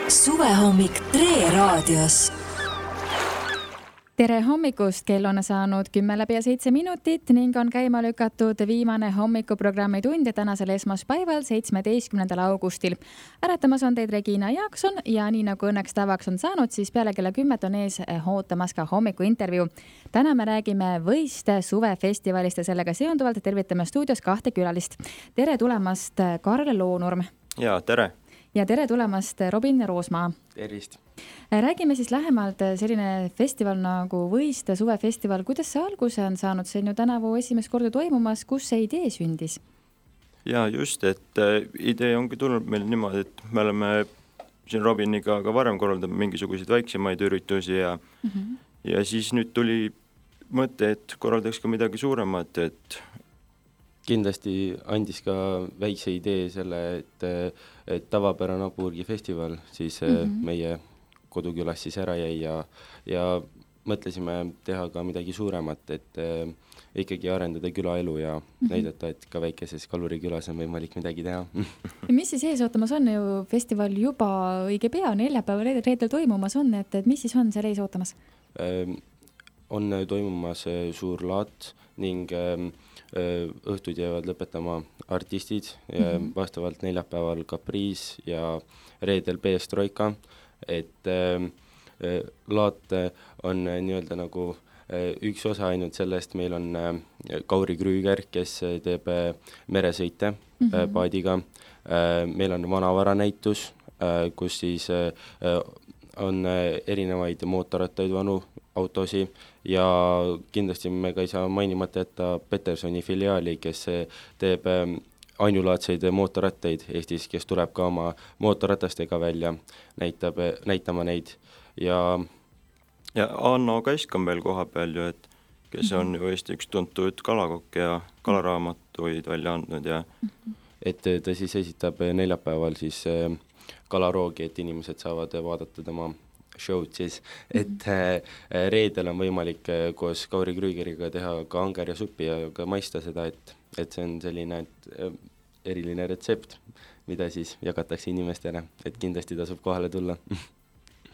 Suvehommik Tre raadios. Tere hommikust, kell on saanud 10:07 ning on käima lükatud viimane hommikuprogrammi tund ja tänasel esmaspäeval, 17. augustil. Äratamas on teid Regina Jaakson ja nii nagu õnneks tavaks on saanud, siis peale kella 10 on ees ootamas ka hommikuintervjuu. Täna me räägime Võiste suvefestivalist ja sellega seonduvalt tervitame stuudios kahte külalist. Tere tulemast, Karl Loonurm. Ja, tere. Ja tere tulemast, Robin Roosmaa. Tervist. Räägime siis lähemalt selline festival nagu Võiste suvefestival. Kuidas see alguse on saanud? See on ju tänavu esimest korda toimumas. Kus see idee sündis? Ja just, et idee ongi tulnud meil niimoodi, et me oleme siin Robiniga ka varem korraldanud mingisuguseid väiksemaid üritusi ja siis nüüd tuli mõte, et korraldaks ka midagi suuremat, et kindlasti andis ka väikse idee selle, et tavapärane Apurgi festival siis meie kodukülas siis ära jäi ja mõtlesime teha ka midagi suuremat, et ikkagi arendada külaelu ja näidata, et ka väikeses kalurikülas on võimalik midagi teha. Mis siis ees ootamas on? Ju festival juba õige pea, neljapäeval reedel toimumas on, et mis siis on seal ees ootamas? On toimumas suur laat ning õhtud jäävad lõpetama artistid, vastavalt neljapäeval Caprice ja reedel Peestroika, et laat on nii-öelda nagu üks osa ainult sellest, meil on Kauri Krüüger, kes teeb meresõite paadiga, meil on vanavaranäitus, kus siis on erinevaid mootorrattaid, vanu autosi ja kindlasti me ka ei saa mainimata jätta Petersoni filiaali, kes teeb ainulaadseid mootorrattaid Eestis, kes tuleb ka oma mootorratastega välja, näitama neid ja Anno Kask on veel koha peal ju, et kes on ju Eesti üks tuntud kalakokk ja kalaraamatuid välja andnud ja et ta siis esitab neljapäeval siis kalaroogi, et inimesed saavad vaadata tema show'd siis, et reedel on võimalik koos Kauri Krüügeriga teha ka anger ja suppi ja ka maista seda, et see on selline eriline retsept, mida siis jagatakse inimestele, et kindlasti tasub kohale tulla.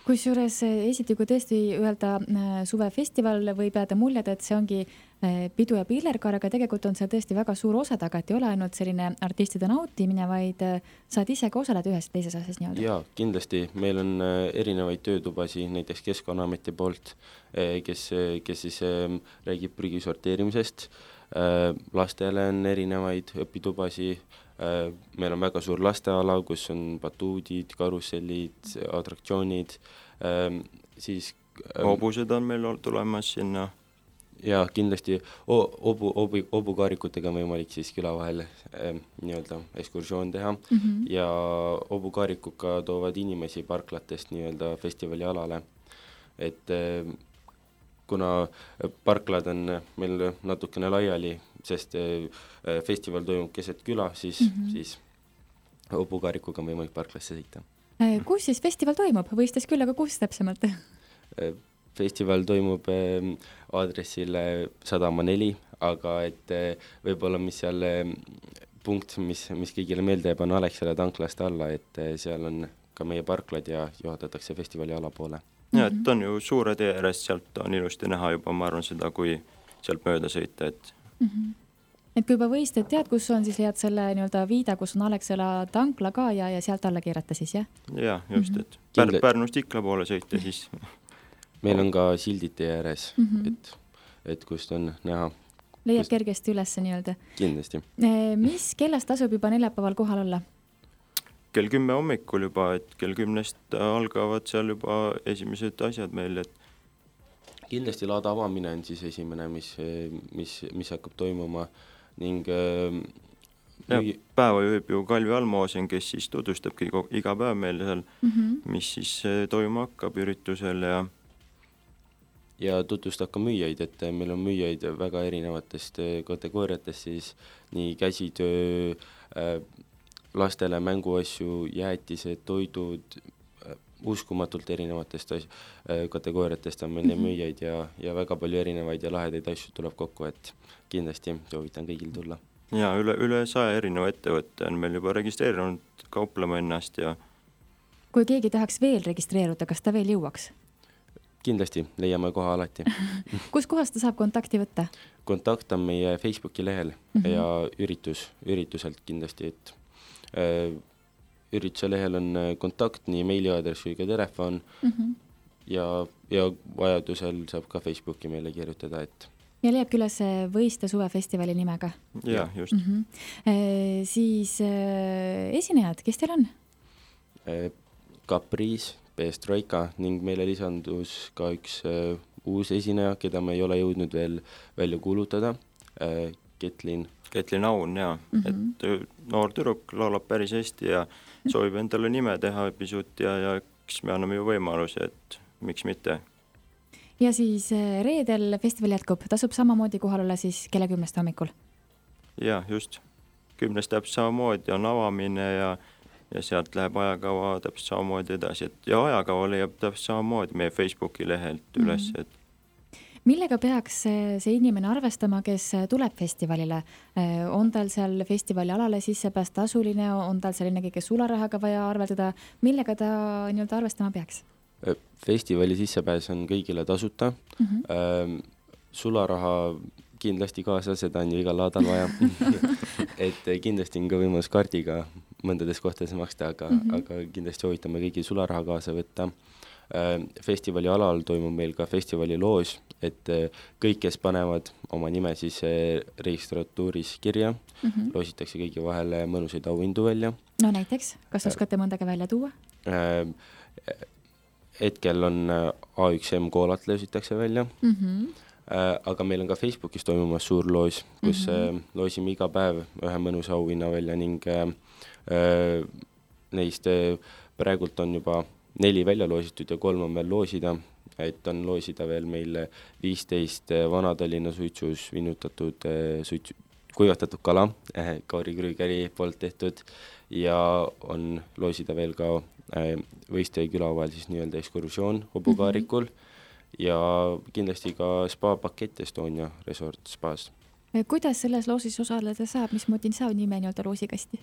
Kusjuures esiti, kui tõesti öelda suvefestival, võib jääda muljed, et see ongi pidu ja pillerkaar, aga tegelikult on see tõesti väga suur osa taga, et ei ole ainult selline artistide nautimine, vaid saad ise ka osaleda ühes teises asjas nii-öelda. Jaa, kindlasti. Meil on erinevaid töötubasi, näiteks Keskkonnaameti poolt, kes siis räägib prügi sorteerimisest. Lastele on erinevaid õpitubasi. Meil on väga suur lasteala, kus on batuudid, karussellid, atraktsioonid, siis hobused on meil tulemas sinna. Ja kindlasti hobukaarikutega on võimalik siis küla vahel nii-öelda ekskursioon teha ja hobukaarikuga toovad inimesi parklatest nii-öelda festivali alale, et kuna parklad on meil natukene laiali, sest festival toimub keset küla, siis hobukaarikuga on võimalik parklasse sõita. Kus siis festival toimub? Võistes küll, aga kus täpsemalt? Festival toimub aadressil Sadama 4, aga et võib-olla mis seal punkt, mis kõigile meelde jääb, on Alexela tanklast alla, et seal on ka meie parklad ja juhatatakse festivali alapoole. Ja, et on ju suure tee ääres, sealt on ilusti näha juba, ma arvan seda, kui sealt mööda sõita, et et kui juba võistad, tead, kus on, siis leiad selle nii-öelda viida, kus on Alexela tankla ka ja sealt alla keerata siis, jah? Ja, just, et Pärnust Ikla poole sõita siis. Meil on ka sildid tee ääres, et kust on näha. Leiab kergesti üles nii-öelda. Kindlasti. Mis kellast tasub juba neljapäeval kohal olla? Kell 10 hommikul juba, et kell 10 algavad seal juba esimesed asjad meil, et kindlasti laada avamine on siis esimene, mis hakkab toimuma ning päeva juhib ju Kalvi Almoosen, kes siis tutvustabki iga päev meil seal, mis siis toimuma hakkab üritusel ja tutvustab ka müüjaid, et meil on müüjaid väga erinevatest kategooriatest, siis nii käsitöö, lastele mänguasju, jäätised, toidud, uskumatult erinevatest kategooriatest on meil müüjaid ja väga palju erinevaid ja lahedaid asju tuleb kokku, et kindlasti soovitan kõigil tulla. Ja üle 100 erineva ettevõtte on meil juba registreerinud kauplema ennast ja Kui keegi tahaks veel registreeruda, kas ta veel jõuaks? Kindlasti, leiame koha alati. Kus kohas ta saab kontakti võtta? Kontakt on meie Facebooki lehel ja ürituselt kindlasti, et ürituse lehel on kontakt, nii meiliaadress kui ka telefon ja vajadusel saab ka Facebooki meile kirjutada, et ja leiab külas Võiste suvefestivali nimega. Ja, just. Siis esinejad, kes teil on? Caprice, Perestroika ning meile lisandus ka üks uus esineja, keda me ei ole jõudnud veel välja kuulutada, Ketlin Aun, ja. Et noor tüdruk laulab päris hästi ja soovib endale nime teha pisut ja eks me anname ju võimalusi, et miks mitte. Ja siis reedel festival jätkub, tasub samamoodi kohal olla siis kella 10 hommikul? Ja, just. 10 täpselt samamoodi on avamine ja sealt läheb ajakava täpselt samamoodi edasi. Ja ajakava leiab täpselt samamoodi meie Facebooki lehelt üles. Millega peaks see inimene arvestama, kes tuleb festivalile? On tal seal festivali alale sissepääs tasuline, on tal seal ennegi sularahaga vaja arveldada? Millega ta nii-öelda arvestama peaks? Festivali sissepääs on kõigile tasuta. Sularaha kindlasti kaasa, seda on ju igal laadal vaja. Et kindlasti on ka võimalus kaardiga mõndades kohtades maksta, aga kindlasti soovitame kõigi sularaha kaasa võtta. Festivali alal toimub meil ka festivali loos, et kõik, kes panevad oma nime siis registratuuris kirja, loositakse kõigi vahele mõnusaid auhindu välja. No näiteks, kas oskate mõndagi välja tuua? Hetkel on A1M koolat loositakse välja, aga meil on ka Facebookis toimumas suur loos, kus loosime iga päev ühe mõnusa auhinna välja ning neist praegult on juba 4 välja loositud ja 3 on veel loosida, et on loosida veel meil 15 Vana-Tallinna suitsus vinutatud kuivatatud kala, Kauri Krügeri poolt tehtud ja on loosida veel ka Võiste küla vahel siis nii-öelda ekskursioon Hobukaarikul ja kindlasti ka spa-pakett Estonia Resort Spaas. Kuidas selles loosis osaleda saab? Mismoodi saab nime nii-öelda loosikasti?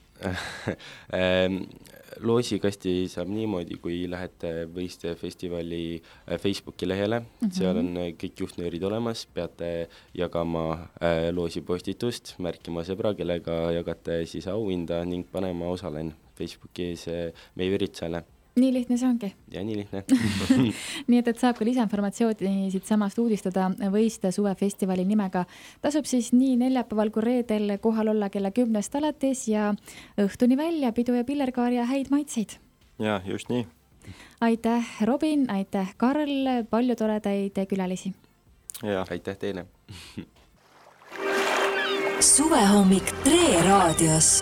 Loosikasti saab niimoodi, kui lähete Võiste festivali Facebooki lehele. Seal on kõik juhtnöörid olemas, peate jagama loosipostitust, märkima sõbra, kellega jagate siis auhinda ning panema osalen Facebookis meie üritusele. Nii lihtne see ongi. Ja nii lihtne. Nii et saab ka lisainformatsiooni siit samast uudistada Võiste suvefestivali nimega. Tasub siis nii neljapäeval kui reedel kohal olla kella 10 alates ja õhtuni välja pidu ja pillerkaar ja häid maitseid. Ja, just nii. Aitäh Robin, aitäh Karl, palju toredaid külalisi. Ja. Aitäh teile. Suvehommik Tre raadios.